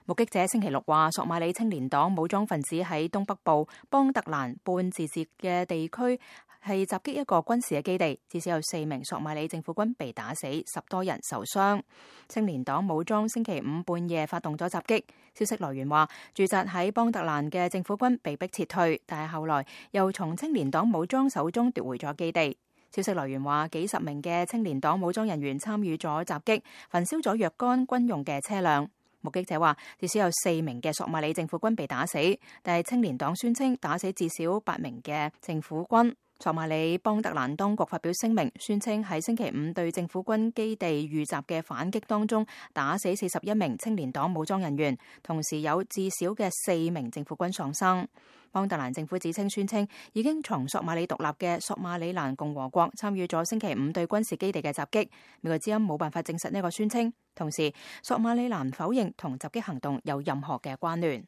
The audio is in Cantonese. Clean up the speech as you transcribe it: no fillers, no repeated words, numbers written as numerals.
目擊者星期六話，索馬里青年黨武裝分子喺東北部邦特蘭半自治嘅地區係襲擊一個軍事嘅基地，至少有4名索馬里政府軍被打死，10多人受傷。青年黨武裝星期五半夜發動咗襲擊，消息來源話，駐紮喺邦特蘭嘅政府軍被迫撤退，但係後來又從青年黨武裝手中奪回咗基地。消息來源話，幾十名嘅青年黨武裝人員參與咗襲擊，焚燒咗若干軍用嘅車輛。目擊者話，至少有4名嘅索馬里政府軍被打死，但係青年黨宣稱打死至少8名嘅政府軍。索馬里邦特蘭當局發表聲明，宣稱喺星期五對政府軍基地遇襲嘅反擊當中，打死41名青年黨武裝人員，同時有至少嘅4名政府軍喪生。邦特蘭政府指稱宣稱已經從索馬里獨立嘅索馬里蘭共和國參與咗星期五對軍事基地嘅襲擊，美國之音冇辦法證實呢個宣稱。同時，索馬里蘭否認同襲擊行動有任何嘅關聯。